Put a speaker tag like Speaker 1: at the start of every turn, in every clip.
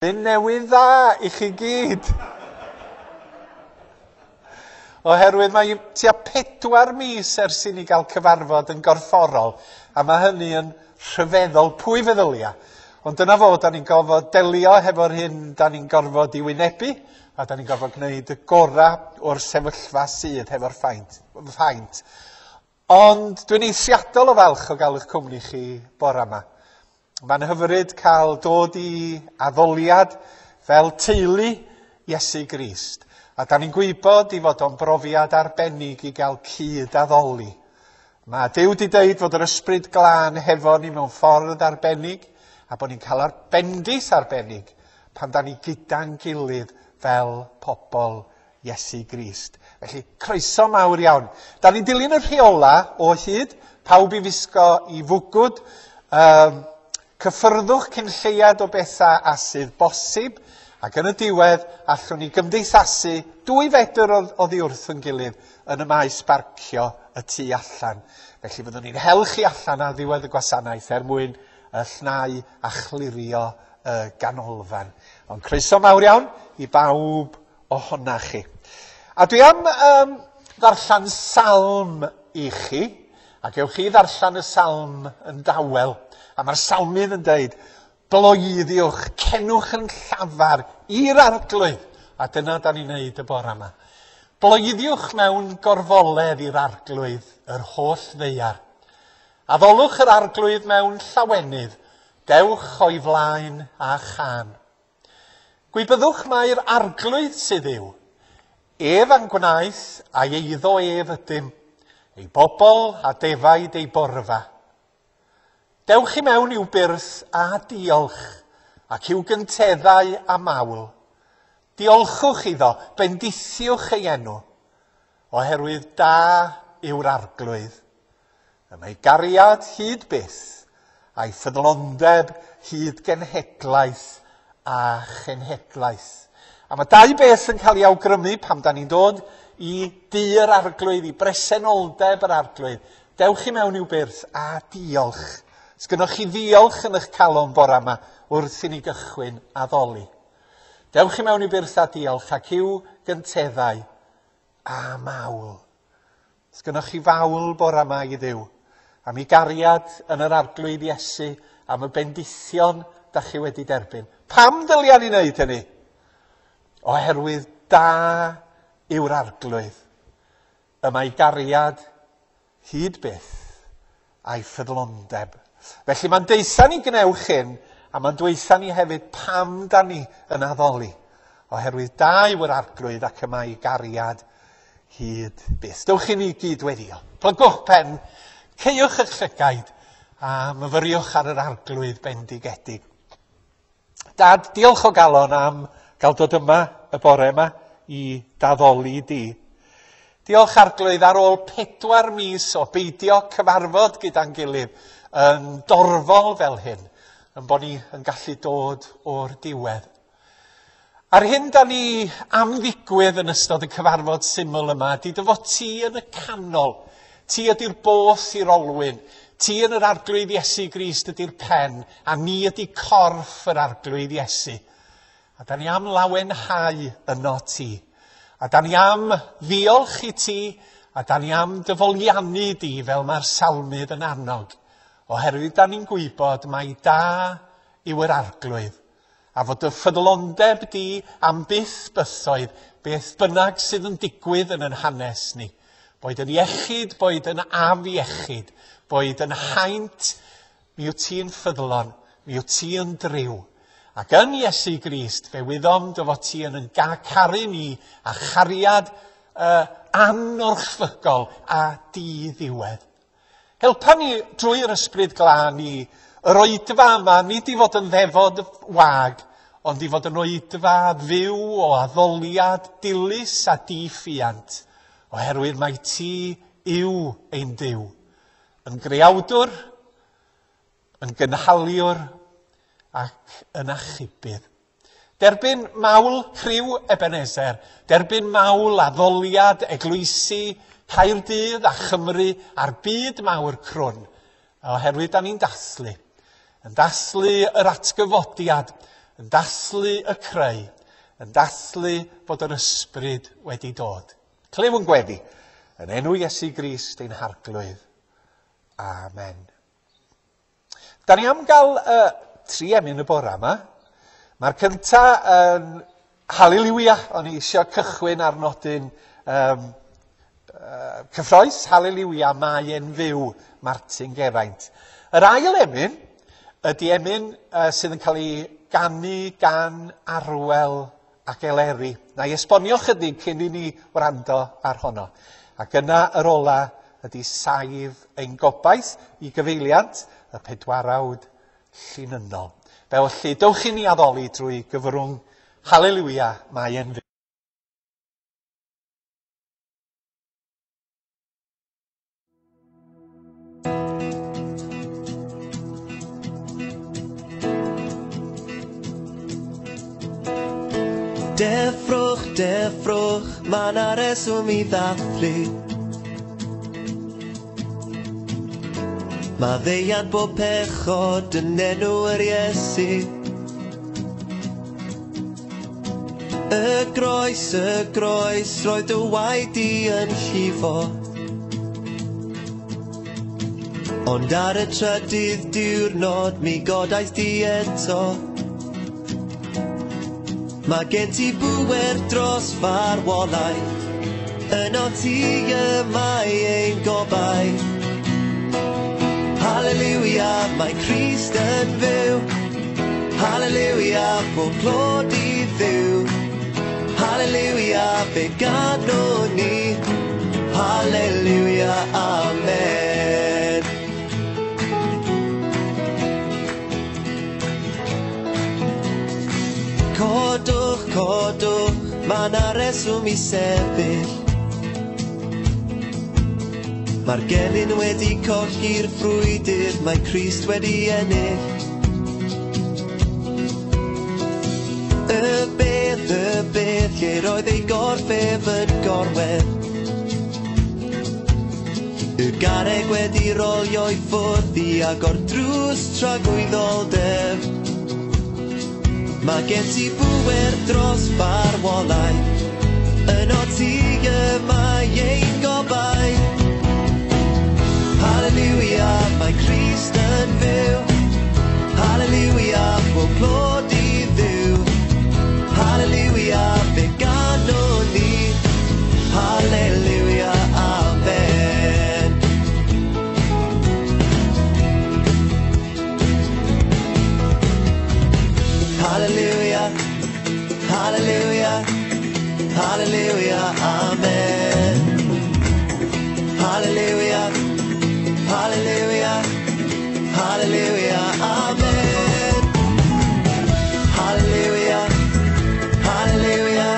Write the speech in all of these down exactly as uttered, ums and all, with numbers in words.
Speaker 1: Blwyddyn newydd dda i chi gyd. Oherwydd mae tua pedwar mis ers i ni gael cyfarfod yn gorfforol, a mae hynny yn rhyfeddol. Pwy feddylia? Ond dyna fo, da ni'n gorfod delio hefo'r hyn da ni'n gorfod i wynebu, a da ni'n gorfod gwneud y gorau o'r sefyllfa sydd hefo'r ffaint. ffaint. Ond dwi'n eithriadol o falch o gael eich cwmni chi bore yma. Mae'n hyfryd cael dod i addoliad fel teulu Iesu Grist. A da ni'n gwybod i fod o'n brofiad arbennig i gael cyd addoli. Mae Duw wedi deud fod yr Ysbryd Glân hefo ni mewn ffordd arbennig, a bod ni'n cael bendith arbennig pan da ni gyda'n gilydd fel pobl Iesu Grist. Felly, croeso mawr iawn. Da ni'n dilyn y rheola o hyd, pawb i wisgo i fwgwd, um, cyffyrddwch cyn lleiad o bethau a sydd bosib, ac yn y diwedd allwn ni gymdeithasu dwy fedr oddi wrth yn gilydd yn y maes barcio y tu allan. Felly fyddwn ni'n hel chi allan ar ddiwedd y gwasanaeth er mwyn y llnau a chlirio y ganolfan. Ond croeso mawr iawn i bawb ohona chi. A dwi am um, ddarllen salm i chi, a gewch chi ddarllen y salm yn dawel. A mae'r salmydd yn deud, bloeddiwch, cenwch yn llafar i'r Arglwydd. A dyna da ni'n neud y bore yma. Bloeddiwch mewn gorfoledd i'r Arglwydd, yr holl ddaear. Addolwch yr Arglwydd mewn llawenydd, dewch o'i flaen a chân. Gwybyddwch mai'r Arglwydd sydd yw. Ef a'n gwnaeth a'i eiddo ef ydym, ei bobl a defaid ei borfa. Dewch i mewn i'w byrth a diolch, ac i'w gynteddau a mawl. Diolchwch iddo, bendithiwch ei enw, oherwydd da yw'r Arglwydd. Y mae gariad hyd byth, a'i ffyddlondeb hyd genhedlaeth a chenhedlaeth. A mae dau beth yn cael ei awgrymu pam da ni'n dod i dŷ'r Arglwydd, i bresenoldeb yr Arglwydd. Dewch i mewn i'w byrth a diolch. Sgynnoch chi ddiolch yn eich calon bore yma wrth i ni gychwyn addoli. Dewch i mewn i byrth a diolch ac i'w gynteddau a mawl. Sgynnoch chi fawl bore yma i Dduw am ei gariad yn yr Arglwydd Iesu, am y bendithion da chi wedi derbyn. Pam dylia ni wneud hynny? Oherwydd da yw'r Arglwydd. Y mae gariad hyd byth a'i ffyddlondeb. Felly mae'n deutha ni gnewch hyn, a mae'n dweutha ni hefyd pam da ni yn addoli. Oherwydd da yw'r Arglwydd ac y mae gariad hyd byth. Dewch i ni gyd weddio. Plygwch pen, caewch eich llygaid, a myfyriwch ar yr Arglwydd bendigedig. Dad, diolch o galon am gael dod yma y bore yma i d'addoli di. Diolch Arglwydd ar ôl pedwar mis o beidio cyfarfod gyda'n gilydd yn dorfol fel hyn, yn bod ni yn gallu dod o'r diwedd. A'r hyn da ni am ddigwydd yn ystod y cyfarfod syml yma, di dy fod ti yn y canol. Ti ydy'r both i'r olwyn. Ti yn yr Arglwydd Iesu Grist ydy'r pen, a ni ydy corff yr Arglwydd Iesu. A da ni am lawenhau yno ti. A da ni am ddiolch i ti, a da ni am dyfoliannu di fel mae'r salmydd yn annog. Oherwydd da ni'n gwybod mai da yw yr Arglwydd, a fod y ffyddlondeb di am byth bythoedd, beth bynnag sydd yn digwydd yn yn hanes ni. Boed yn iechyd, boed yn afiechyd, boed yn haint, mi wyt ti'n ffyddlon, mi wyt ti yn driw. Ac yn Iesu Grist, fe wyddom dy fod ti yn yn caru ni a chariad uh, anorchfygol a di-ddiwedd. Helpa ni drwy'r Ysbryd Glân i yr oedfa yma, nid i fod yn ddefod wag, ond i fod yn oedfa fyw o addoliad dilys a diffuant, oherwydd mai ti yw ein Duw, yn greawdwr, yn gynhaliwr ac yn achubydd. Derbyn mawl criw Ebenezer, derbyn mawl addoliad eglwysi Caerdydd a Chymru a'r byd mawr crwn, oherwydd da ni'n dathlu. Yn dathlu yr atgyfodiad, yn dathlu y creu, yn dathlu bod yr ysbryd wedi dod. Clyw yn gweddi, yn enw Iesu Grist ein Harglwydd. Amen. Da ni am gael uh, tri emyn y bora yma. Mae'r cynta yn Haleliwia. O'n i eisiau cychwyn ar nodyn um, uh, cyffrous. Haleliwia, mae e'n fyw, Martin Geraint. Yr ail emyn ydy emyn uh, sydd yn cael ei ganu gan Arwel ac Eleri. Na i esbonio chydig cyn i ni wrando ar honno. Ac yna yr ola ydy saif ein gobaith i gyfeiliant y pedwarawd llinynnol. Felly, dewch i ni addoli drwy gyfrwng Haleliwia, mae e'n fyw.
Speaker 2: Deffrwch, deffrwch, ma' 'na reswm i ddathlu. Maddeuant bob pechod yn enw yr Iesu. Y groes, y groes, roedd dy waed di yn llifo. Ond ar y trydydd diwrnod mi godais di eto. Mae gen ti bŵer dros farwolaeth, yno ti y mae ein gobaith. Haleliwia, mae Crist yn fyw. Haleliwia, pob clod i Dduw. Haleliwia, fe ganwn ni. Haleliwia, amen. Codwch, codwch, ma' 'na reswm i sefyll. Mae'r gelyn wedi colli'r frwydr, mae Crist wedi ennill. Y bedd, y bedd, lle roedd ei gorff ef yn gorwedd. Y garreg wedi rolio i ffwrdd i agor drws tragwyddoldeb. Mae gen ti bŵer dros farwolaeth, yno ti y mae ein gobaith. Haleliwia, mae Crist yn fyw. Haleliwia, pob clod i Dduw. Haleliwia, fe ganwn ni. Haleliwia, amen. Haleliwia, haleliwia, haleliwia, amen. Haleliwia, hallelujah, hallelujah, amen. Hallelujah, hallelujah,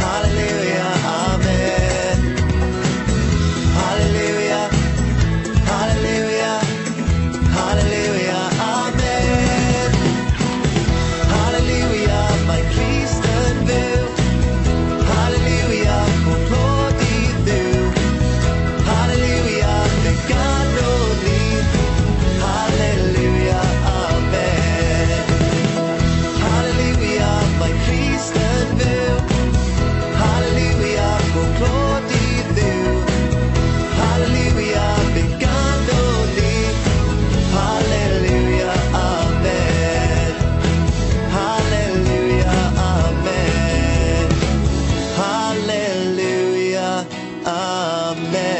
Speaker 2: hallelujah, amen. Hallelujah, hallelujah, hallelujah, amen. Hallelujah, mae Crist yn fyw. Hallelujah, pob clod i Dduw. Hallelujah, fe ganwn ni. Hallelujah, amen. Hallelujah, mae Crist yn fyw. Hallelujah, pob clod i Dduw. Hallelujah, fe ganwn ni. Hallelujah, amen. Hallelujah, amen. Hallelujah, amen.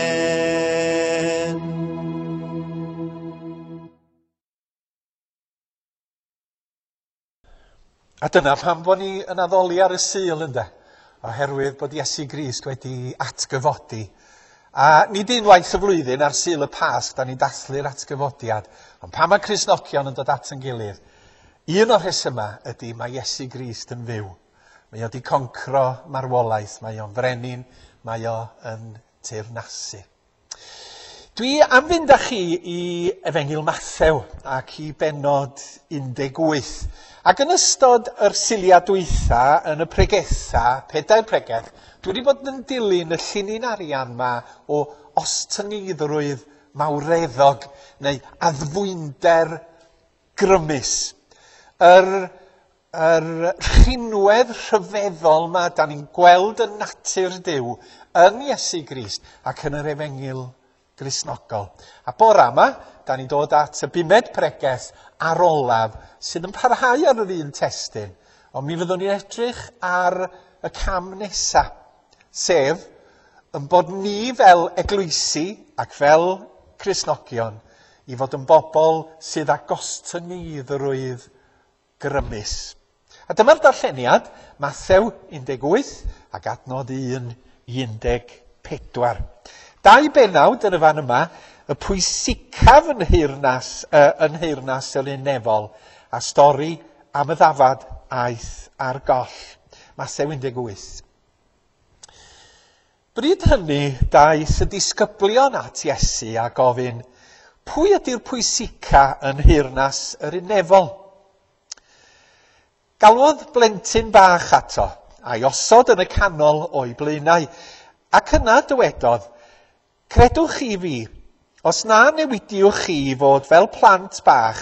Speaker 1: A dyna pam bod ni yn addoli ar y Sul, ynde? Oherwydd bod Iesu Grist wedi atgyfodi. A nid unwaith y flwyddyn ar Sul y Pasg, da ni'n dathlu'r atgyfodiad. Ond pan mae Cristnogion yn dod at yn gilydd, un o'r rhesymau ydy mae Iesu Grist yn fyw. Mae o wedi concro marwolaeth, mae o'n frenin, mae o yn teyrnasu. Dwi am fynd â chi i Efengyl Mathew ac i bennod un deg wyth. Ac yn ystod yr Suliau dwytha, yn y pregetha, pedair pregeth, dwi wedi bod yn dilyn y llinyn arian ma o ostyngeiddrwydd mawreddog neu addfwynder grymus. Yr yr rhinwedd rhyfeddol yma, da ni'n gweld y natur Duw yn Iesu Grist ac yn yr Efengyl Gristnogol. A bora yma, da ni'n dod at y bumed pregeth ar olaf sydd yn parhau ar yr un testun. Ond mi fyddwn ni'n edrych ar y cam nesaf, sef yn bod ni fel eglwysi ac fel Cristnogion i fod yn bobl sydd â gostyngeiddrwydd grymus. A dyma'r darlleniad, Mathew un deg wyth ac adnod un i un deg pedwar. Dau benawd yn y fan yma, y pwysicaf yn nheyrnas, uh, yn nheyrnas yr un nefol, a stori am y ddafad aeth ar goll. Mathew un deg wyth. Bryd hynny, daeth y disgyblion at Iesu a gofyn, pwy ydy'r pwysica yn nheyrnas yr un nefol? Galwodd blentyn bach ato, a'i osod yn y canol o'i blaenau, ac yna dywedodd, credwch chi fi, os na newidiwch chi i fod fel plant bach,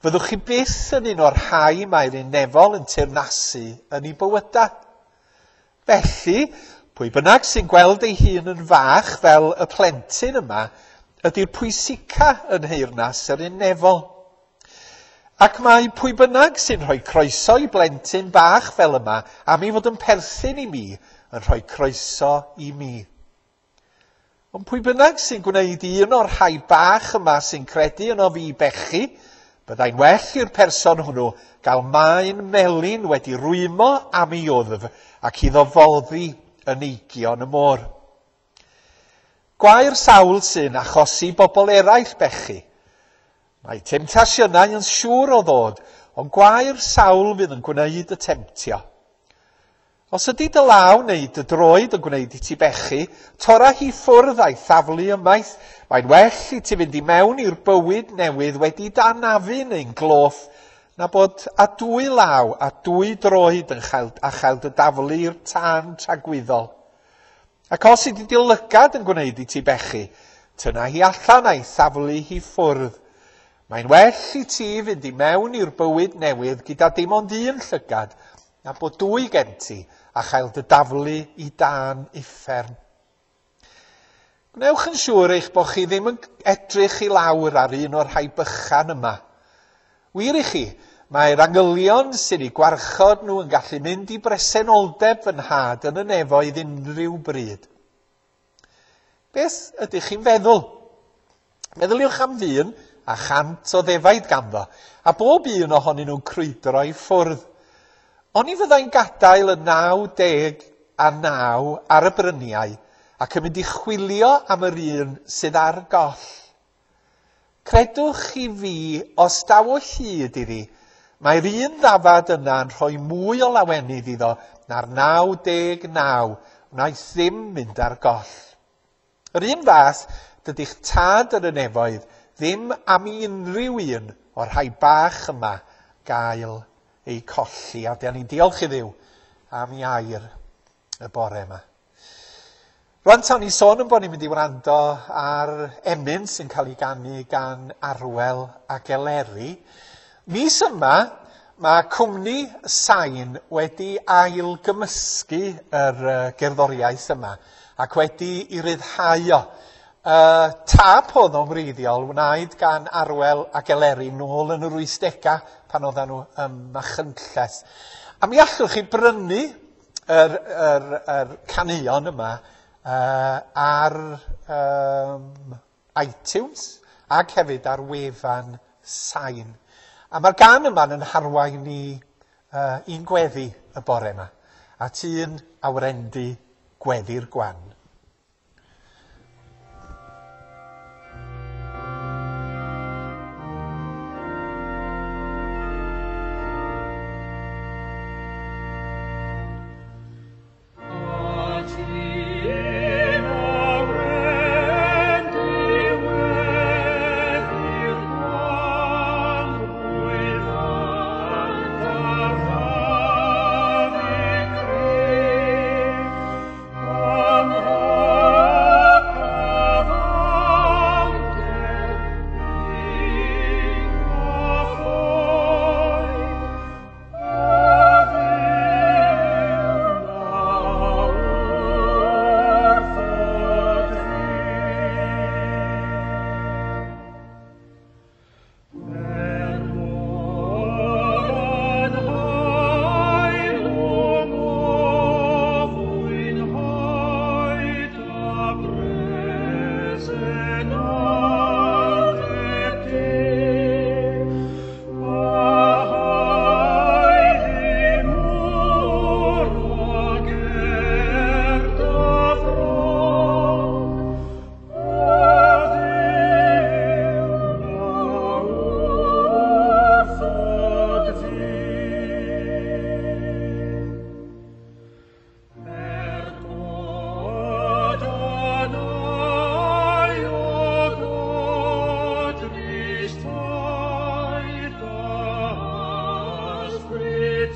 Speaker 1: fyddwch chi byth yn un o'r rhai mae'r un nefol yn teyrnasu yn ei bywydau. Felly, pwy bynnag sy'n gweld ei hun yn fach fel y plentyn yma, ydy'r pwysica yn nheyrnas yr un nefol. Ac mae pwy bynnag sy'n rhoi croeso i blentyn bach fel yma, am ei fod yn perthyn i mi, yn rhoi croeso i mi. Ond pwy bynnag sy'n gwneud un o'r rhai bach yma sy'n credu yno fi bechu, byddai'n well i'r person hwnnw gael maen melyn wedi rwymo am ei wddf ac iddo foddi yn eigion y môr. Gwae'r sawl sy'n achosi bobl eraill bechu. Mae temtasiynau yn siŵr o ddod, ond gwae'r sawl fydd yn gwneud y temtio. Os ydy dy law neu dy droed yn gwneud i ti bechu, tora hi ffwrdd a'i thaflu ymaith. Mae'n well i ti fynd i mewn i'r bywyd newydd wedi danafu neu'n gloff, na bod a dwy law a dwy droed yn chael, a chael dy daflu i'r tân tragwyddol. Ac os ydy dy lygad yn gwneud i ti bechu, tynna hi allan a'i thaflu hi ffwrdd. Mae'n well i ti fynd i mewn i'r bywyd newydd gyda dim ond un llygad, na bod dwy gen ti a chael dy daflu i dan uffern. Gwnewch yn siŵr eich bod chi ddim yn edrych i lawr ar un o'r rhai bychan yma. Wir i chi, mae'r angylion sy'n eu gwarchod nhw yn gallu mynd i bresenoldeb fy nhad yn y nefoedd unrhyw bryd. Beth ydych chi'n feddwl? Meddyliwch am ddyn a chant o ddefaid ganddo, a bob un ohonyn nhw'n crwydro i ffwrdd. Oni fyddai'n gadael y naw deg a naw ar y bryniau ac yn mynd i chwilio am yr un sydd ar goll. Credwch chi fi, os daw o hyd iddi, mae'r un ddafad yna yn rhoi mwy o lawenydd iddo na'r naw deg naw wnaeth ddim mynd ar goll. Yr un fath, dydy'ch tad yn y nefoedd ddim am unrhyw un o'r rhai bach yma gael eu colli. A dan ni'n diolch i Dduw am ei air y bore yma. Rwan ta ni sôn yn bod ni'n mynd i wrando ar emyn sy'n cael ei ganu gan Arwel ac Eleri. Mis yma, mae cwmni Sain wedi ailgymysgu yr gerddoriaeth yma ac wedi i ryddhau o. Uh, tap oedd o'n wreiddiol wnaed gan Arwel ac Eleri nôl yn yr wythdegau pan oedden nhw ym Machynlleth. A mi allwch chi brynu yr, yr, yr caneuon yma uh, ar um, iTunes ac hefyd ar wefan Sain. A mae'r gan yma'n yn harwain ni uh, un gweddi y bore yma, at un awrendu gweddi'r gwan.
Speaker 3: Amen.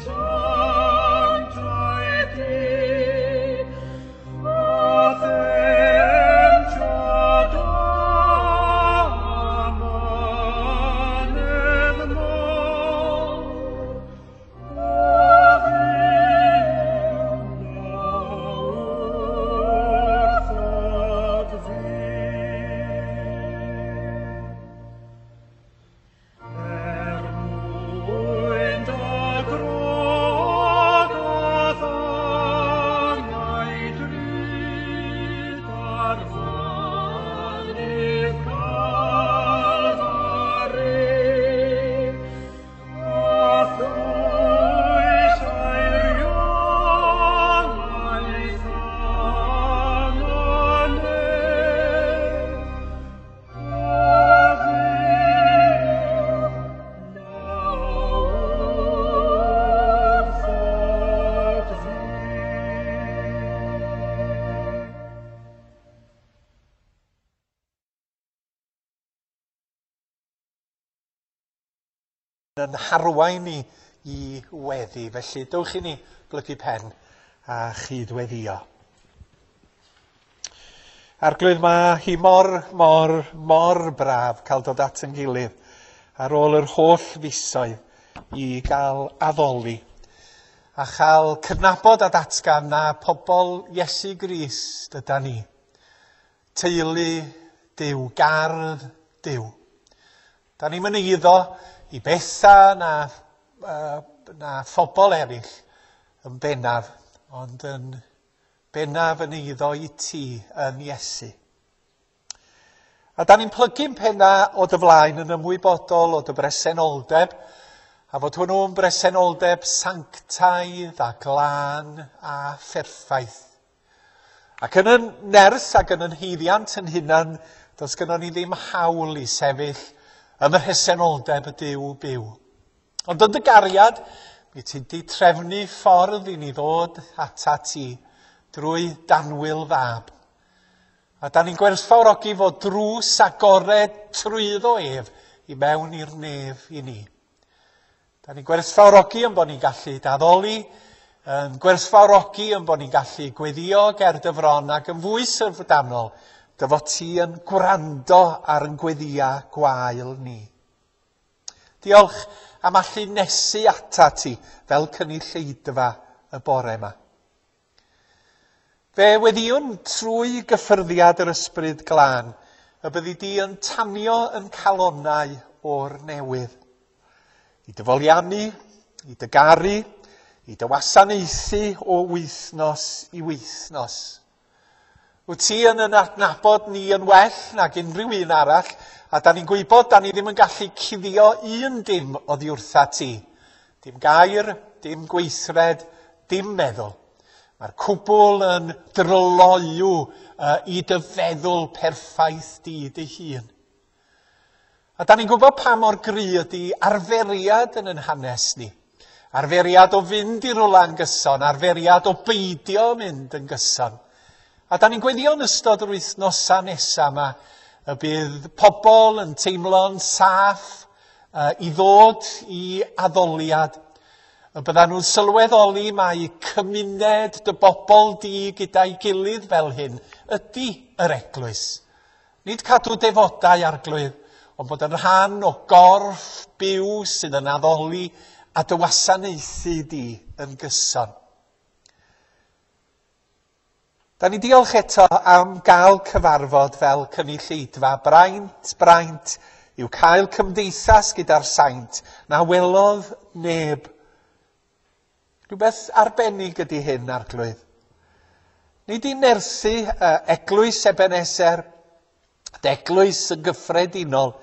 Speaker 3: sanctaidd di, a themtiad amynedd mawr, o Dduw, na wrthod fi. Er mwyn dy grog a'th angau drud ar fynydd Calfari, a thwys eiriolaeth anonedd, o Dduw, na wrthod fi.
Speaker 1: Yn harwain ni i weddi. Felly, dewch i ni blygu pen a chydweddïo. Arglwydd, mae hi mor, mor, mor braf cael dod at yn gilydd ar ôl yr holl fisoedd i gael addoli a chael cydnabod a datgan na pobl Iesu Grist yda ni. Teulu Duw, gardd Duw. Da ni'n mynd iddo i bethau na, uh, na phobl eraill yn bennaf, ond yn bennaf yn eiddo i ti yn Iesu. A da ni'n plygu'n penna o dy flaen yn ymwybodol o dy bresenoldeb, a fod hwnnw'n bresenoldeb sanctaidd a glân a pherffaith. Ac yn yn nerth ac yn yn haeddiant yn hunan, does gynnon ni ddim hawl i sefyll ym mhresenoldeb y Duw byw. Ond yn dy gariad, mi ti di trefnu ffordd i ni ddod ata ti drwy d'annwyl fab. A da ni'n gwerthfawrogi fod drws agored trwyddo ef i mewn i'r nef i ni. Da ni'n gwerthfawrogi yn bod ni'n gallu d'addoli, yn gwerthfawrogi yn bod ni'n gallu gweddio ger dy fron ac yn fwy syfrdanol, dy fod ti yn gwrando ar yn gweddia gwael ni. Diolch am allu nesu ata ti fel cynulleidfa y bore yma. Fe weddïwn trwy gyffyrddiad yr Ysbryd Glân y byddi di yn tanio yn calonnau o'r newydd. I dy foliannu, i dy garu, i dy wasanaethu o wythnos i wythnos. Wyt ti yn yn adnabod ni yn well nag unrhyw un arall, a da ni'n gwybod da ni ddim yn gallu cuddio un dim oddi wrtha ti. Dim gair, dim gweithred, dim meddwl. Mae'r cwbl yn dryloyw uh, i dy feddwl perffaith di dy hun. A da ni'n gwybod pa mor gry ydy arferiad yn yn hanes ni. Arferiad o fynd i rwla yn gyson, arferiad o beidio mynd yn gyson. A da ni'n gweddio yn ystod yr wythnosau nesaf yma y bydd pobl yn teimlo'n saff uh, i ddod i addoliad. Y byddan nhw'n sylweddoli mai cymuned dy bobl di gyda'i gilydd fel hyn ydy yr eglwys. Nid cadw defodau, Arglwydd, ond bod yn rhan o gorff byw sydd yn addoli a dy wasanaethu di yn gyson. Da ni diolch eto am gael cyfarfod fel cynulleidfa. Braint, braint yw cael cymdeithas gyda'r saint na welodd neb. Rhywbeth arbennig ydy hyn, Arglwydd. Nid i nerthu uh, eglwys Ebenezer, eglwys yn gyffredinol,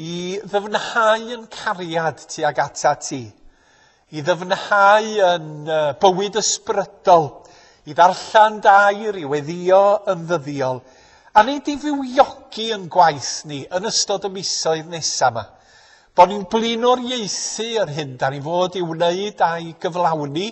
Speaker 1: i ddyfnhau yn cariad tuag ata ti, i ddyfnhau yn uh, bywyd ysbrydol, i ddarllen dair, i weddio yn ddyddiol, a nid i fywiogi yn gwaith ni yn ystod y misoedd nesaf yma. Bo ni'n blaenoriaethu yr hyn da ni fod i wneud a'i gyflawni,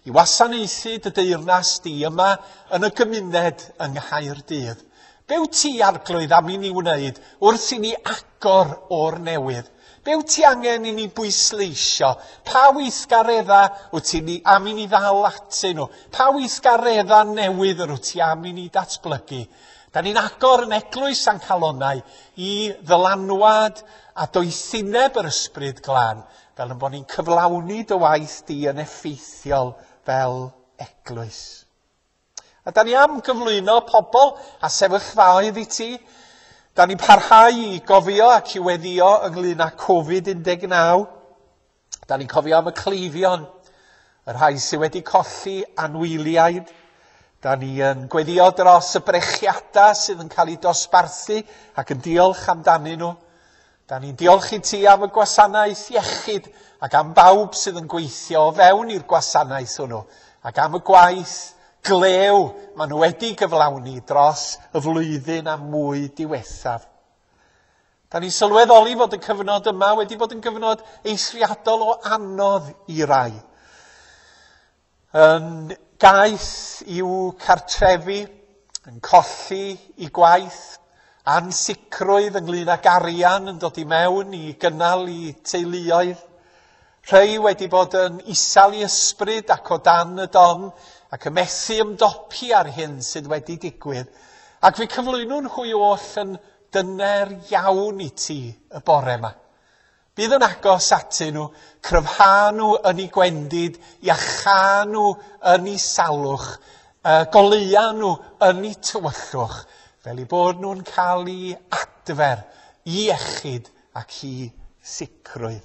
Speaker 1: i wasanaethu dy deyrnas di yma yn y gymuned yng Nghaerdydd. Be wyt ti, Arglwydd, am i ni wneud wrth i ni agor o'r newydd? Be wyt ti angen i ni bwysleisio? Pa weithgaredda wyt ti ni am i ni ddal atyn nhw? Pa weithgaredda newydd yr wyt ti am i ni datblygu? Da ni'n agor yn eglwys a'n calonnau i ddylanwad a doethineb yr Ysbryd Glân, fel yn bod ni'n cyflawni dy waith di yn effeithiol fel eglwys. A da ni am gyflwyno pobl a sefyllfaoedd i ti. Da ni'n parhau i gofio ac i weddio ynglyn â Covid un deg naw. Da ni'n cofio am y cleifion, y rhai sydd wedi colli anwyliaid. Da ni yn gweddio dros y brechiadau sydd yn cael eu dosbarthu ac yn diolch amdanyn nhw. Da ni'n diolch i ti am y gwasanaeth iechyd ac am bawb sydd yn gweithio o fewn i'r gwasanaeth hwnnw ac am y gwaith glew maen nhw wedi gyflawni dros y flwyddyn a mwy diwethaf. Da ni'n sylweddoli fod y cyfnod yma wedi bod yn gyfnod eithriadol o anodd i rai. Yn gaeth i'w cartrefi, yn colli i gwaith, ansicrwydd ynglyn ag arian yn dod i mewn i gynnal i teuluoedd. Rhai wedi bod yn isel i ysbryd ac o dan y don, ac y methu ymdopi ar hyn sydd wedi digwydd. Ac fe cyflwynwn hwy oll yn dyner iawn i ti y bore yma. Bydd yn agos atyn nhw, cryfha nhw yn eu gwendid, iachâ nhw yn eu salwch, goleua nhw yn eu tywyllwch, fel eu bod nhw'n cael eu adfer i iechyd ac i sicrwydd.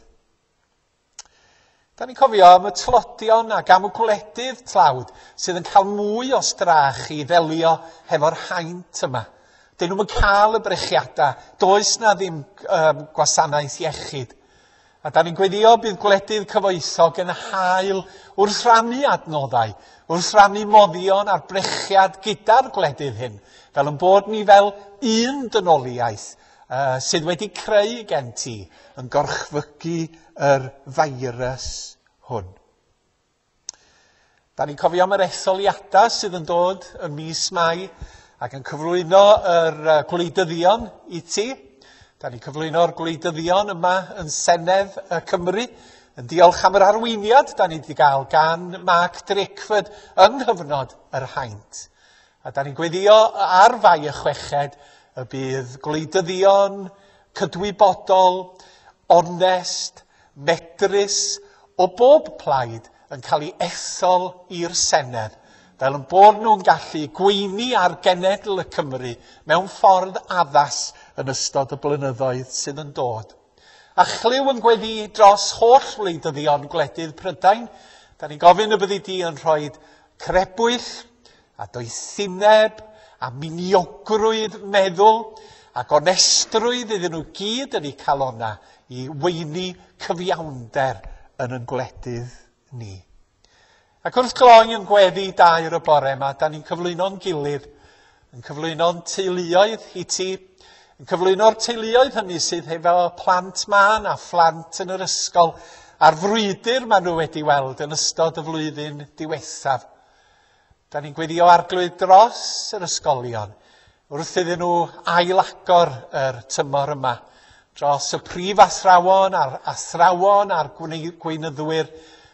Speaker 1: Da ni'n cofio am y tlodion ac am y gwledydd tlawd sydd yn cael mwy o strach i ddelio hefo'r haint yma. Dyn nhw'n cael y brechiadau, does na ddim um, gwasanaeth iechyd. A da ni'n gweddio bydd gwledydd cyfoethog yn hael wrth rannu adnoddau, wrth rannu moddion a'r brechiad gyda'r gwledydd hyn, fel yn bod ni fel un dynoliaeth uh, sydd wedi creu gen ti yn gorchfygu yr feirws hwn. Da ni'n cofio am yr etholiadau sydd yn dod ym mis Mai ac yn cyflwyno yr gwleidyddion i ti. Da ni'n cyflwyno'r gwleidyddion yma yn Senedd y Cymru, yn diolch am yr arweiniad da ni wedi gael gan Mark Drakeford yng nghyfnod yr haint. A da ni'n gweddio ar Fai y chweched y bydd gwleidyddion cydwybodol, onest, medrus o bob plaid yn cael ei ethol i'r Senedd, fel yn bod nhw'n gallu gweini ar genedl y Cymru mewn ffordd addas yn ystod y blynyddoedd sydd yn dod. A chlyw yn gweddi dros holl wleidyddion gwledydd Prydain, da ni'n gofyn y byddi di yn rhoi crebwyll a doethineb a miniogrwydd meddwl ac onestrwydd iddyn nhw gyd yn eu calonna i weini cyfiawnder yn yn gwledydd ni. Ac wrth gloi yn gweddi dair y bore yma, da ni'n cyflwyno'n gilydd, yn cyflwyno'n teuluoedd i ti, yn cyflwyno'r teuluoedd hynny sydd hefo plant mân a phlant yn yr ysgol, a'r frwydr maen nhw wedi weld yn ystod y flwyddyn diwethaf. Da ni'n gweddio Arglwydd dros yr ysgolion, wrth iddyn nhw ailagor yr tymor yma, dros y prif athrawon a'r athrawon a'r gweinyddwyr,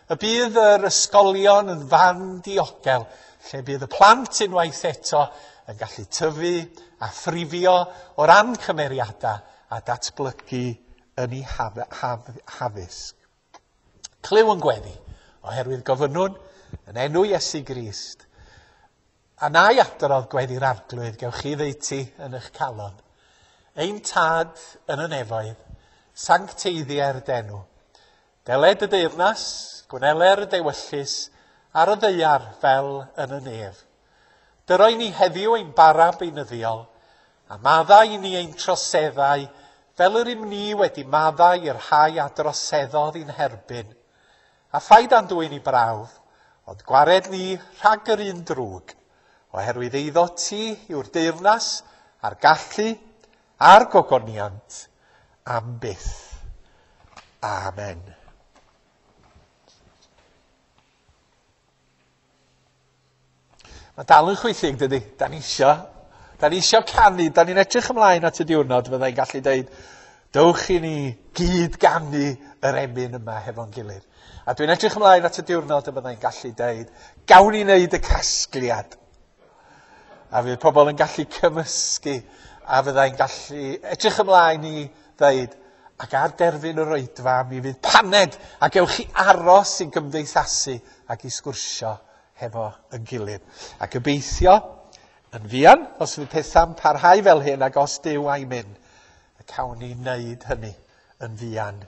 Speaker 1: y bydd yr ysgolion yn fan diogel, lle bydd y plant unwaith eto yn gallu tyfu a phrifio o ran cymeriadau a datblygu yn eu haf, haf, haddysg. Clyw yn gweddi, oherwydd gofynnwn yn enw Iesu Grist. A na i adrodd gweddi'r Arglwydd, gewch chi ddeutu yn eich calon. Ein tad yn y nefoedd, sancteiddier d'enw. Deled y deyrnas, gwneler y dewyllys, ar y ddaear fel yn y nef. Dyroi ni heddiw ein bara beunyddiol, a maddau i ni ein troseddau, fel yr ym ni wedi maddau i'r rhai a droseddodd i'n herbyn. A phaid â'n dwyn i brawf, ond gwared ni rhag yr un drwg, oherwydd eiddo ti yw'r deyrnas a'r gallu a'r gogoniant am byth. Amen. Mae dal yn chwythig, dydy? Da ni isio, da ni isio canu, da ni'n edrych ymlaen at y diwrnod fyddai'n gallu deud, Dowch i ni gyd ganu yr emyn yma hefo'n gilydd. A dwi'n edrych ymlaen at y diwrnod y byddai'n gallu deud, gawn ni wneud y casgliad. A fydd pobl yn gallu cymysgu, a fyddai'n gallu edrych ymlaen i ddeud, ac ar derfyn yr oedfa mi fydd paned, a gewch chi aros i gymdeithasu ac i sgwrsio hefo yn gilydd. A gobeithio, yn fuan, os fydd pethau'n parhau fel hyn, ac os Duw a'i mynd, y cawn ni wneud hynny yn fuan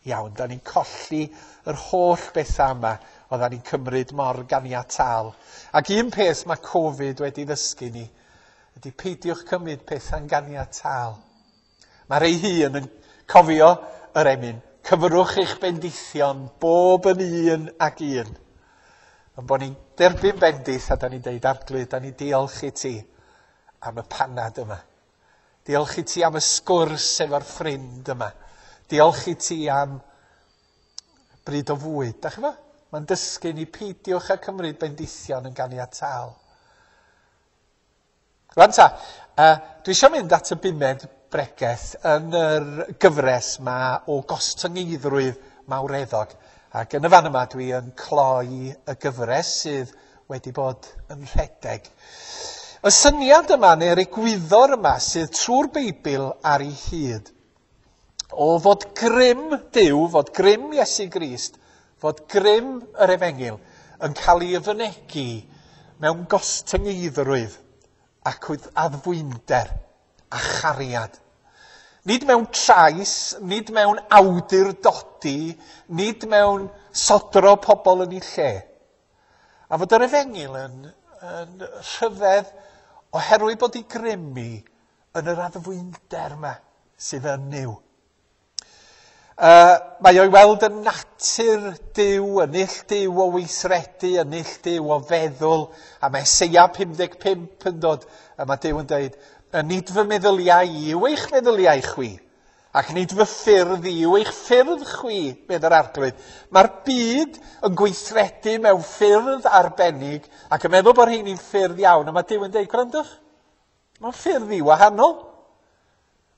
Speaker 1: iawn. Da ni'n colli yr holl bethau yma oeddan ni'n cymryd mor ganiataol. Ac un peth mae Covid wedi ddysgu ni ydy peidiwch cymryd pethau'n ganiataol. Mae rei hun yn cofio yr emyn. Cyfrwch eich bendithion bob yn un ac un. Ond bod ni'n derbyn bendith a da ni'n deud, Arglwydd, da ni'n diolch i ti am y panad yma. Diolch i ti am y sgwrs efo'r ffrind yma. Diolch i ti am bryd o fwyd. Da chi fo? Mae'n dysgu ni peidiwch â cymryd bendithion yn ganiataol. Rwan ta, uh, dwi eisiau mynd at y bumed bregeth yn yr gyfres ma o gostyngeiddrwydd mawreddog. Ac yn y fan yma dwi yn cloi y gyfres sydd wedi bod yn rhedeg. Y syniad yma neu'r egwyddor yma sydd trwy'r Beibl ar ei hyd o fod grym Duw, fod grym Iesu Grist, fod grym yr Efengyl yn cael ei fynegi mewn gostyngeiddrwydd ac addfwynder a chariad. Nid mewn trais, nid mewn awdurdodi, nid mewn sodro pobl yn ei lle. A fod yr Efengyl yn, yn rhyfedd oherwydd bod ei grymu yn yr addfwynder yma sydd yn Nuw. Uh, mae o'i weld yn natur Duw, yn null Duw o weithredu, yn null Duw o feddwl, a mae Eseia pum deg pump yn dod, a mae Duw yn dweud, nid fy meddyliau i yw eich meddyliau chwi, ac nid fy ffyrdd i yw eich ffyrdd chwi, medd yr Arglwydd. Mae'r byd yn gweithredu mewn ffyrdd arbennig, ac yn meddwl bod rheini'n ffyrdd iawn, a mae Duw yn dweud, gwrandwch, mae'n ffyrdd i wahanol.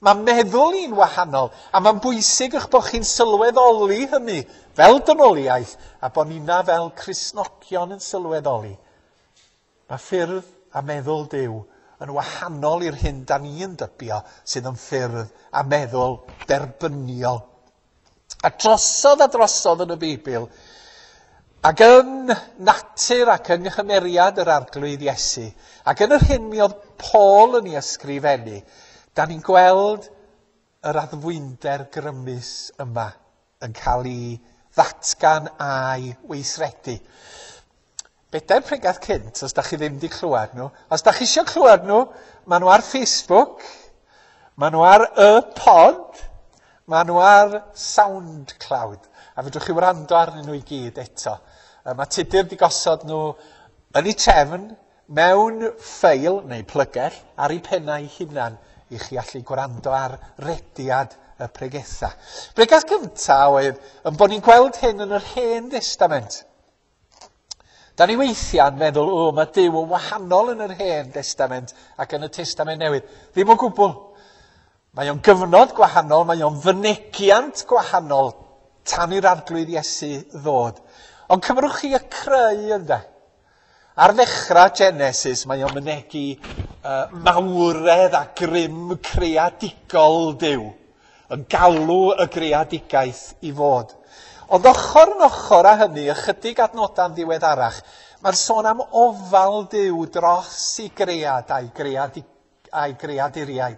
Speaker 1: Mae meddwl i'n wahanol, a mae'n bwysig eich bod chi'n sylweddoli hynny fel dynoliaeth, a bod nina fel Cristnogion yn sylweddoli. Mae ffyrdd a meddwl Duw yn wahanol i'r hyn da ni'n dybio sydd yn ffyrdd a meddwl derbyniol. A drosodd a drosodd yn y Beibl, ac yn natur ac yng nghymeriad yr Arglwydd Iesu, ac yn yr hyn mi oedd Paul yn ei ysgrifennu, da ni'n gweld yr addfwynder grymus yma yn cael ei ddatgan a'i weithredu. Bedair pregaeth cynt, os da chi ddim wedi clywed nhw. Os da chi eisiau clywed nhw, maen nhw ar Facebook, maen nhw ar y pod, maen nhw ar SoundCloud. A fedrwch chi wrando arnyn nhw i gyd eto. Mae Tudur wedi gosod nhw yn eu trefn, mewn ffeil neu plygell, ar eu pennau hunan, i chi allu gwrando ar rediad y pregetha. Pregaeth gyntaf oedd yn bod ni'n gweld hyn yn yr Hen Destament. Da ni weithiau'n meddwl, o, mae Duw yn wahanol yn yr Hen Destament ac yn y Testament Newydd. Ddim o gwbl. Mae o'n gyfnod gwahanol, mae o'n fynegiant gwahanol tan i'r Arglwydd Iesu ddod. Ond cymrwch chi y creu ynde. Ar ddechrau Genesis, mae o'n mynegi uh, mawredd a grym creadigol Duw, yn galw y greadigaeth i fod. Ond ochr yn ochr â hynny, ychydig adnodau'n ddiweddarach, mae'r sôn am ofal Duw dros i gread a'i, greadi, a'i greaduriaid.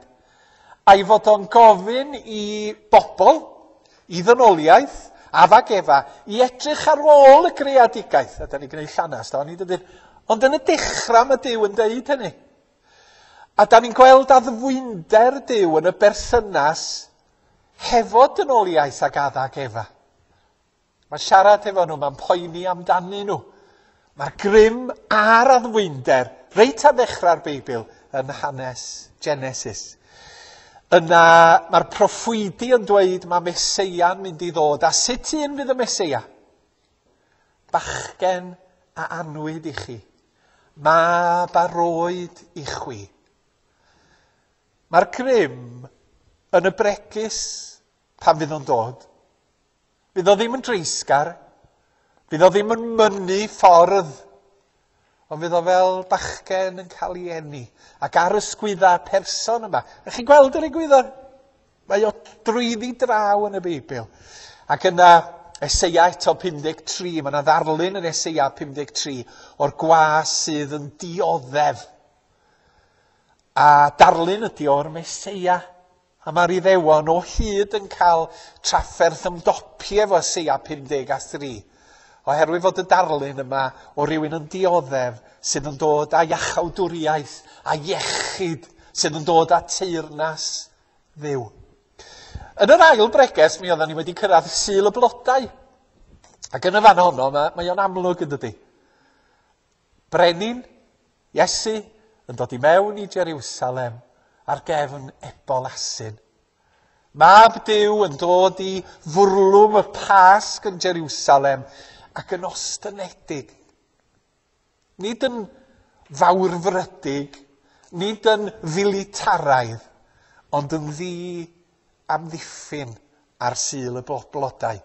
Speaker 1: A'i fod o'n gofyn i bobl, i ddynoliaeth, Adda ac Efa, i edrych ar ôl y greadigaeth. A da ni'n gwneud llanast, da ni dydyn. Ond yn y dechrau mae Duw yn deud hynny. A da ni'n gweld addfwynder Duw yn y berthynas hefo dynoliaeth ac Adda ac Efa. Mae'n siarad efo nhw, mae'n poeni amdanyn nhw. Mae'r grym a'r addfwynder reit ar ddechrau'r Beibl yn hanes Genesis. Yna mae'r proffwydi yn dweud mae Meseia'n mynd i ddod. A sut un fydd y Meseia? Bachgen a anwyd i chi. Mab a roed i chwi. Mae'r grym yn y bregus pan fydd o'n dod. Fydd o ddim yn dreisgar, fydd o ddim yn mynnu ffordd, ond fydd o fel bachgen yn cael ei eni. Ac ar ysgwydda person yma. Ych chi'n gweld yr egwyddor? Mae o drwyddi draw yn y Beibl. Ac yna Eseia eto pum deg tri, mae yna ddarlun yn Eseia pum deg tri o'r gwas sydd yn dioddef. A darlun ydy o'r Meseia. A mae'r Iddewon o hyd yn cael trafferth ymdopi efo Eseia pum deg a thri. Oherwydd fod y darlun yma o rywun yn dioddef sydd yn dod â iachawdwriaeth a iechyd, sydd yn dod â teyrnas Dduw. Yn yr ail bregeth, mi oedden ni wedi cyrraedd Sul y Blodau. Ac yn y fan honno, mae, mae o'n amlwg yn dydi. Brenin, Iesu, yn dod i mewn i Jerusalem ar gefn ebol asyn. Mab Duw yn dod i fwrlwm y Pasg yn Jerusalem ac yn ostynedig. Nid yn fawrfrydig, nid yn filitaraidd, ond yn ddi amddiffyn ar Sul y Blodau.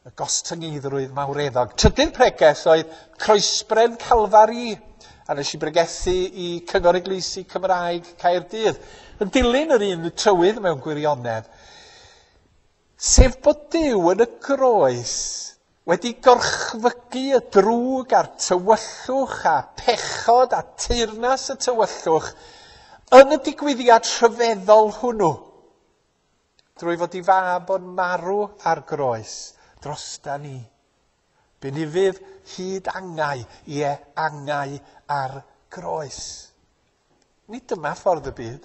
Speaker 1: Y gostyngeiddrwydd mawreddog. Trydydd pregeth oedd Croesbren Calfari, a nes i bregethu i Cyngor Eglwysi Cymraeg Caerdydd. Yn dilyn yr un trywydd mewn gwirionedd, sef bod Duw yn y groes wedi gorchfygu y drwg a'r tywyllwch a pechod a teyrnas y tywyllwch yn y digwyddiad rhyfeddol hwnnw, drwy fod i fab o'n marw ar groes drosta ni. Bu'n hyd angau, ie angau ar groes. Nid dyma ffordd y byd,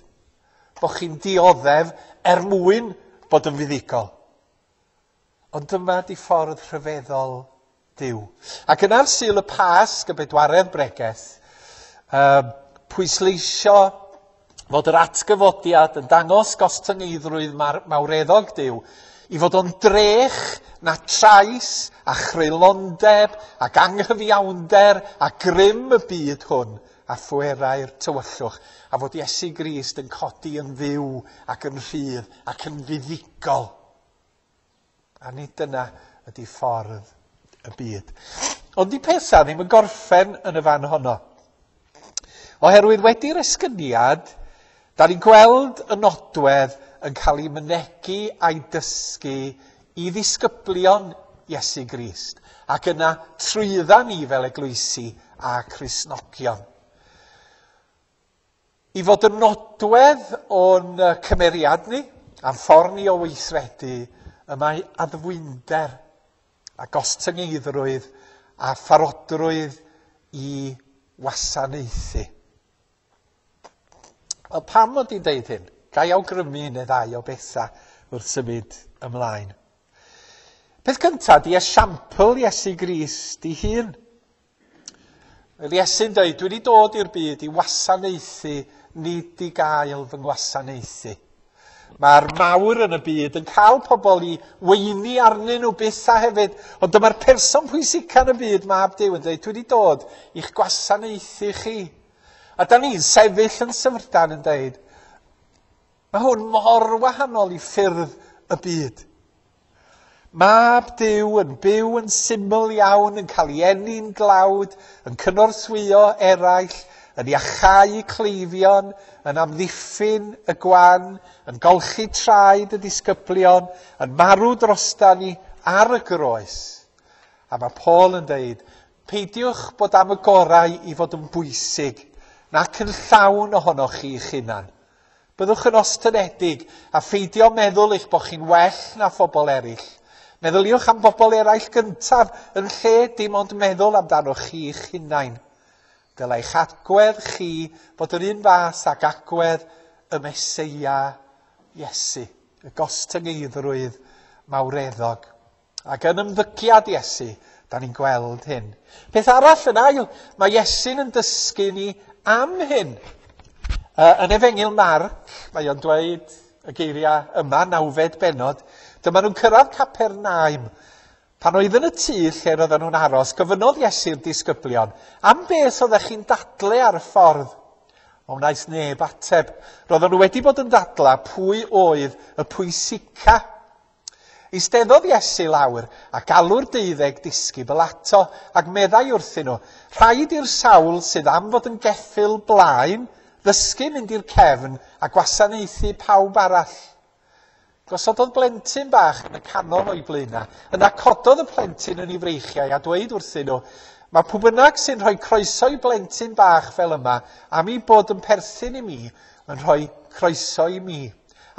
Speaker 1: bod chi'n dioddef er mwyn bod yn fuddugol. Ond dyma di ffordd rhyfeddol Duw. Ac yna'r Sul y Pasg, y bedwaredd bregeth, um, pwysleisio fod yr atgyfodiad yn dangos gostyngeiddrwydd mawreddog Duw, i fod o'n drech na trais a chreulondeb ac anghyfiawnder a grym y byd hwn a phwerau'r tywyllwch, a fod Iesu Grist yn codi yn fyw ac yn rhydd ac yn fuddugol. A nid dyna ydy ffordd y byd. Ond di pethau ddim yn gorffen yn y fan honno. Oherwydd wedi'r esgyniad, da ni'n gweld y nodwedd yn cael ei mynegi a'i dysgu i ddisgyblion Iesu Grist, ac yna trwydda ni fel eglwysi a Cristnogion. I fod yn nodwedd o'n cymeriad ni, a'n ffordd ni o weithredu, y mae addfwynder a gostyngeiddrwydd a pharodrwydd i wasanaethu. Wel, pam mod i'n deud hyn? Ga i awgrymu un neu ddau o bethau wrth symud ymlaen. Peth cyntaf di esiampl Iesu Grist ei hun. Yr Iesu'n dweud, dwi wedi dod i'r byd i wasanaethu, nid i gael fy ngwasanaethu. Mae'r mawr yn y byd yn cael pobl i weini arnyn nhw byth a hefyd, ond dyma'r person pwysica yn y byd, Mab Duw, yn dweud, dwi wedi dod i'ch gwasanaethu chi. A da ni'n sefyll yn syfrdan yn dweud, mae hwn mor wahanol i ffyrdd y byd. Mab Duw yn byw yn syml iawn, yn cael ei eni'n glawd, yn cynorthwyo eraill, yn iachau cleifion, yn amddiffyn y gwan, yn golchi traed y disgyblion, yn marw drosta ni ar y groes. A mae Paul yn dweud, peidiwch bod am y gorau i fod yn bwysig, nac yn llawn ohonoch chi'ch hunan. Byddwch yn ostynedig a pheidio meddwl eich bod chi'n well na phobl eraill. Meddyliwch am bobl eraill gyntaf yn lle dim ond meddwl amdanoch chi'ch hunain. Dylai'ch agwedd chi fod yr un fath ag agwedd y Meseia Iesu, y gostyngeiddrwydd mawreddog. Ac yn ymddygiad Iesu, da ni'n gweld hyn. Peth arall yn ail, mae Iesu'n yn dysgu ni am hyn. Uh, yn Efengyl Marc, mae o'n dweud y geiriau yma, nawfed bennod, dyma nhw'n cyrraedd Capernaum. Pan oedd yn y tŷ lle roedden nhw'n aros, gofynnodd Iesu'r disgyblion, am beth oeddech chi'n dadlu ar y ffordd? Ond wnaeth neb ateb. Roedden nhw wedi bod yn dadla pwy oedd y pwysica. Eisteddodd Iesu lawr a galw'r deuddeg disgybl ato ac meddai wrthyn nhw, rhaid i'r sawl sydd am fod yn geffyl blaen ddysgu mynd i'r cefn a gwasanaethu pawb arall. Gosododd blentyn bach yn y canol o'i blaenau. Yna cododd y plentyn yn ei freichiau a dweud wrthyn nhw, mae pwy bynnag sy'n rhoi croeso i blentyn bach fel yma am ei bod yn perthyn i mi yn rhoi croeso i mi.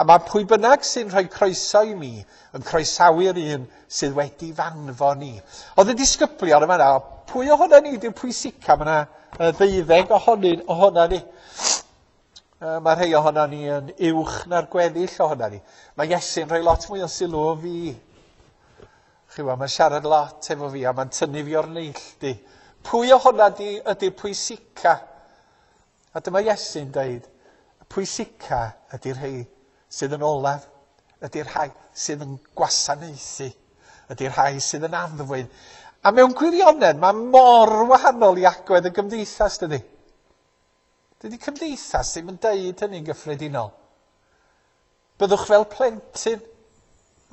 Speaker 1: A mae pwy bynnag sy'n rhoi croeso i mi yn croesawu'r un sydd wedi fanfon ni. Oedd y disgyblion yma yna, pwy ohono ni di'r pwysica? Mae yna ddeuddeg ohonyn, ohona ni. Mae rhai ohono ni yn uwch na'r gweddill ohono ni. Mae Iesu'n rhoi lot mwy o sylw o fi. Chi weld, mae'n siarad lot efo fi a mae'n tynnu fi o'r neilltu. Pwy ohona di ydy'r pwysica? A dyma Iesu'n dweud, y pwysica ydy'r rhai sydd yn olaf, ydy'r rhai sydd yn gwasanaethu, ydy'r rhai sydd yn addfwyn. A mewn gwirionedd, mae mor wahanol i agwedd y gymdeithas, dydy. Dydy cymdeithas ddim yn deud hynny'n gyffredinol. Byddwch fel plentyn.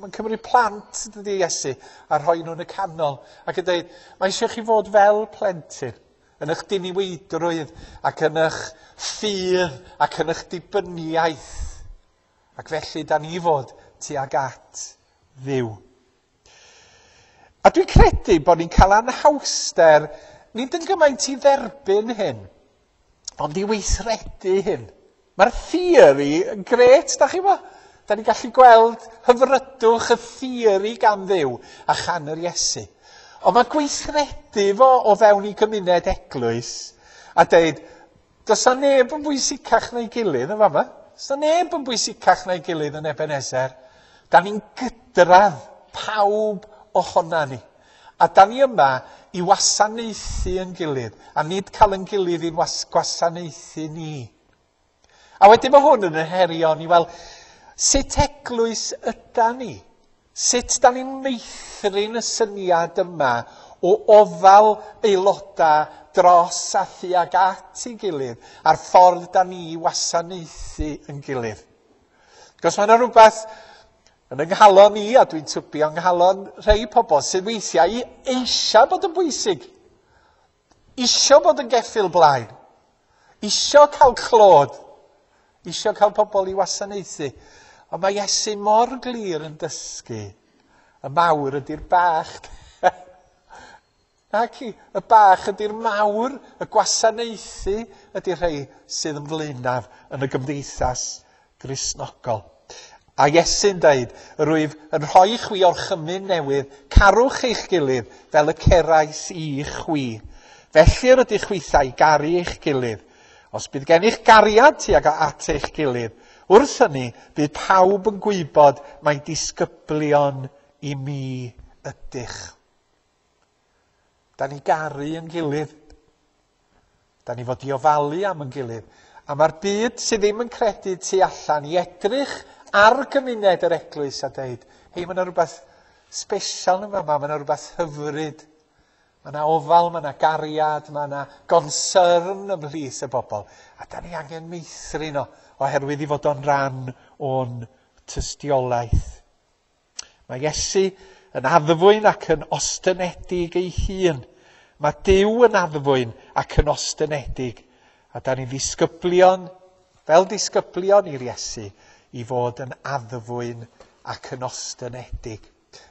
Speaker 1: Mae'n cymryd plant, dydy Iesu, a rhoi nhw'n y canol. Ac yn dweud, mae eisiau chi fod fel plentyn, yn eich diniweidrwydd, ac yn eich ffydd, ac yn eich dibyniaeth. Ac felly, da ni fod tuag at Dduw. A dwi'n credu bod ni'n cael anhawster, nid yn gymaint i dderbyn hyn, ond i weithredu hyn. Mae'r theori yn grêt, da chi bo? Da ni'n gallu gweld hyfrydwch y theori gan Dduw a chan yr Iesu. Ond mae gweithredu fo o fewn i gymuned eglwys a dweud, does na neb yn bwysicach na'i gilydd yn fama. Does na neb yn bwysicach na'i gilydd yn Ebenezer. Da ni'n gydradd pawb ohona ni. A da ni yma i wasanaethu yn gilydd, a nid cael yn gilydd i'n was- gwasanaethu ni. A wedyn mae hwn yn herio ni, wel, sut eglwys yda ni? Sut da ni'n meithrin y syniad yma o ofal aelodau dros a thuag at ei gilydd, a'r ffordd da ni i wasanaethu yn gilydd? Cos mae yna rhywbeth yn yng nghalon i, a dwi'n tybio yng nghalon rhai pobl sydd weithiau eisiau bod yn bwysig, isio bod yn geffyl blaen, isio cael clod, isio cael pobl i wasanaethu. Ond mae Iesu mor glir yn dysgu, y mawr ydy'r bach. Naci, y bach ydy'r mawr, y gwasanaethu ydy'r rhai sydd yn flaenaf yn y gymdeithas Gristnogol. A Iesu'n dweud, rwyf yn rhoi chwi orchymyn newydd, carwch eich gilydd fel y cerais i chwi. Felly yr ydych chwithau garu eich gilydd. Os bydd gennych gariad tuag at eich gilydd, wrth hynny bydd pawb yn gwybod mai disgyblion i mi ydych. Da ni garu yn gilydd. Da ni fod i ofalu am yn gilydd. A mae'r byd sydd ddim yn credu tu allan i edrych ar gymuned yr eglwys a dweud, hei, mae yna rhywbeth special yn fama, mae yna rhywbeth hyfryd. Mae yna ofal, mae yna gariad, mae yna concern ymhlith y bobl. A da ni angen meithrin o, oherwydd i fod o'n rhan o'n tystiolaeth. Mae Iesu yn addfwyn ac yn ostynedig ei hun. Mae Duw yn addfwyn ac yn ostynedig. A da ni'n ddisgyblion, fel disgyblion i'r Iesu, i fod yn addfwyn ac yn ostynedig.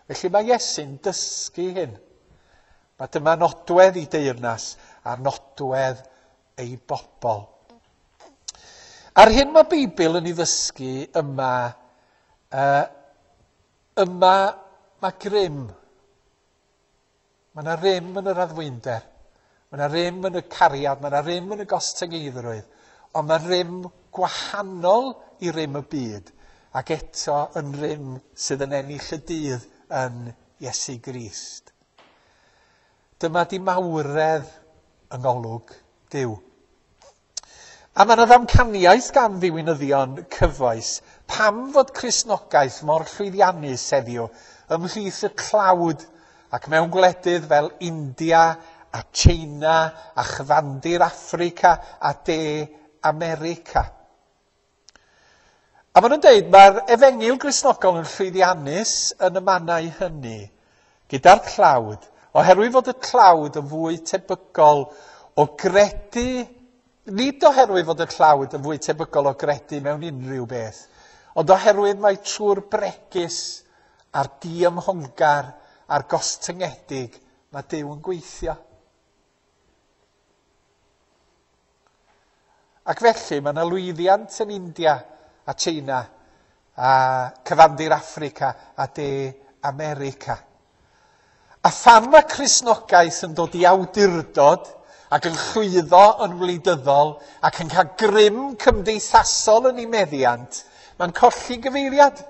Speaker 1: Felly mae Iesu'n dysgu hyn. Mae dyma nodwedd ei deyrnas a nodwedd ei bobl. A'r hyn mae Beibl yn ei ddysgu yma, uh, yma mae grym. Mae yna rym yn yr addfwynder. Mae yna rym yn y cariad, mae yna rym yn y gostyngeiddrwydd. Ond mae rym gwahanol i rym y byd, ac eto yn rym sydd yn ennill y dydd yn Iesu Grist. Dyma di mawredd yng ngolwg Duw. A mae yna ddamcaniaeth gan ddiwinyddion cyfoes pam fod Cristnogaeth mor llwyddiannus heddiw ymhlith y tlawd ac mewn gwledydd fel India a China a chyfandir Affrica a De America. A maen nhw'n dweud mae'r efengyl Gristnogol yn llwyddiannus yn y mannau hynny, gyda'r tlawd, oherwydd fod y tlawd yn fwy tebygol o gredu, nid oherwydd fod y tlawd yn fwy tebygol o gredu mewn unrhyw beth, ond oherwydd mae trwy'r bregus a'r diymhongar a'r gostyngedig, mae Duw yn gweithio. Ac felly mae yna lwyddiant yn India a China a cyfandir Affrica a De America. A phan mae Cristnogaeth yn dod i awdurdod ac yn llwyddo yn wleidyddol ac yn cael grym cymdeithasol yn ei meddiant, mae'n colli gyfeiriad.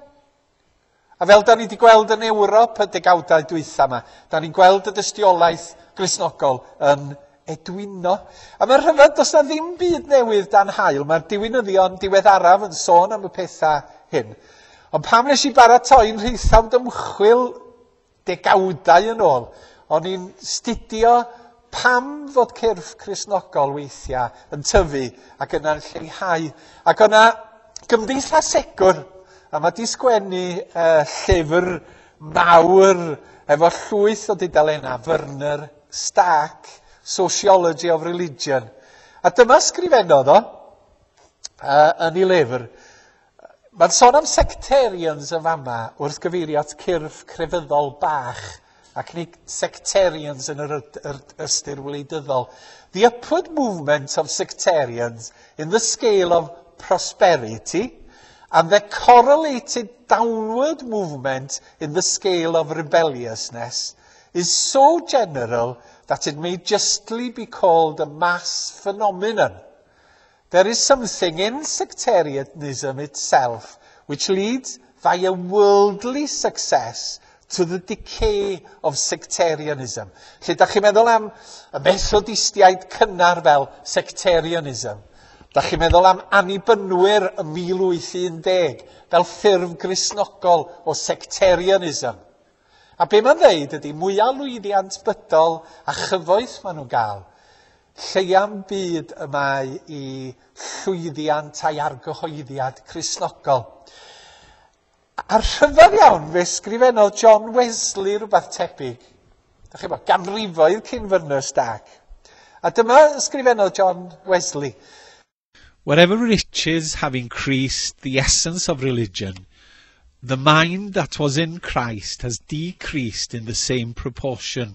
Speaker 1: A fel da ni wedi gweld yn Ewrop y degawdau dwytha yma, da ni'n gweld y dystiolaeth Gristnogol yn edwino. A mae'n rhyfedd, does na ddim byd newydd dan haul. Mae'r diwinyddion diweddaraf yn sôn am y pethau hyn. Ond pam nes i baratoi'n rheithawd ymchwil degawdau yn ôl, o'n i'n studio pam fod cyrff Cristnogol weithiau yn tyfu ac yna'n lleihau. Ac o'na gymdeithasegwr, a mae di sgwennu uh, llyfr mawr efo llwyth o dudalennau, Werner Stark, Sociology of Religion. A dyma sgrifennodd o uh, yn ei lyfr. Mae'n sôn am sectarians yn fama wrth gyfeirio at cyrff crefyddol bach, ac nid sectarians yn yr, yr ystyr wleidyddol. The upward movement of sectarians in the scale of prosperity and the correlated downward movement in the scale of rebelliousness is so general that it may justly be called a mass phenomenon. There is something in sectarianism itself which leads via worldly success to the decay of sectarianism. Lle da chi'n meddwl am y Methodistiaid cynnar fel sectarianism. Da chi'n meddwl am Annibynwyr y mil wyth un deg fel ffurf Gristnogol o sectarianism. A be mae'n dweud ydy mwyaf lwyddiant bydol a chyfoeth maen nhw'n gael, lleia'n byd y mae i llwyddiant a'i argyhoeddiad Cristnogol. A rhyfedd iawn, fe sgrifennodd John Wesley rhywbeth tebyg. Da chi'n bod, ganrifoedd cyn Werner Stark. A dyma sgrifennodd John Wesley.
Speaker 4: Wherever riches have increased the essence of religion, the mind that was in Christ has decreased in the same proportion.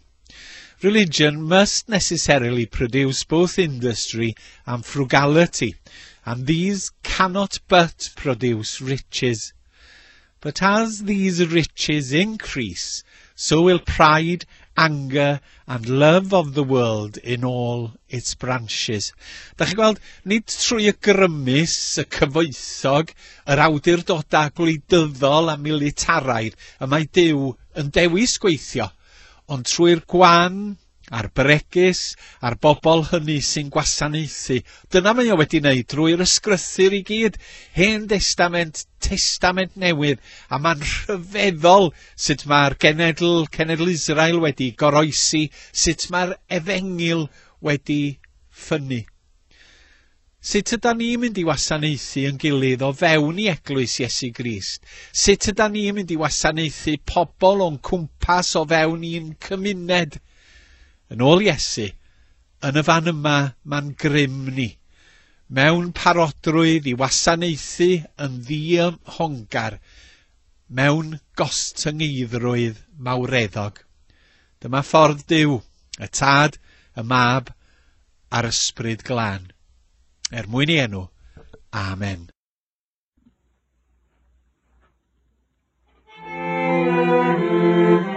Speaker 4: Religion must necessarily produce both industry and frugality, and these cannot but produce riches. But as these riches increase, so will pride, anger and love of the world in all its branches. Da chi'n gweld, nid trwy y grymus, y cyfoethog, yr awdurdodau gwleidyddol a militaraidd y mae Duw yn dewis gweithio, ond trwy'r gwan a'r bregus a'r bobl hynny sy'n gwasanaethu. Dyna mae o wedi wneud drwy'r ysgrythur i gyd, Hen Destament, Testament Newydd, a mae'n rhyfeddol sut mae'r genedl, cenedl Israel wedi goroesi, sut mae'r efengyl wedi ffynnu. Sut ydan ni'n mynd i wasanaethu yn gilydd o fewn i eglwys Iesu Grist? Sut ydan ni'n mynd i wasanaethu pobl o'n cwmpas o fewn i'n cymuned? Yn ôl Iesu, yn y fan yma mae'n grym ni, mewn parodrwydd i wasanaethu yn ddiymhongar, mewn gostyngeiddrwydd mawreddog. Dyma ffordd Duw, y Tad, y Mab a'r Ysbryd Glân. Er mwyn ei enw, amen.
Speaker 3: Thank you.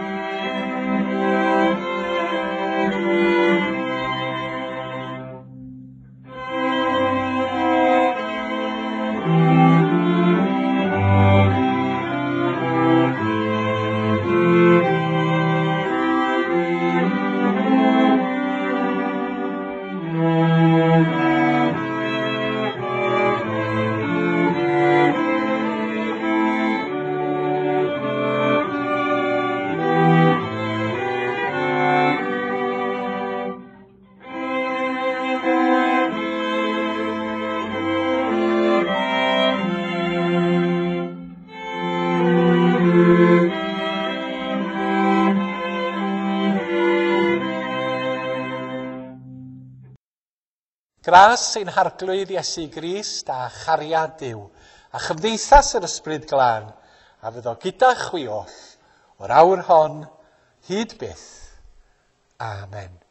Speaker 1: Gras ein Harglwydd Iesu Grist a chariad Duw, a chymdeithas yr Ysbryd Glân, a fyddo gyda chwi oll, o'r awr hon, hyd byth. Amen.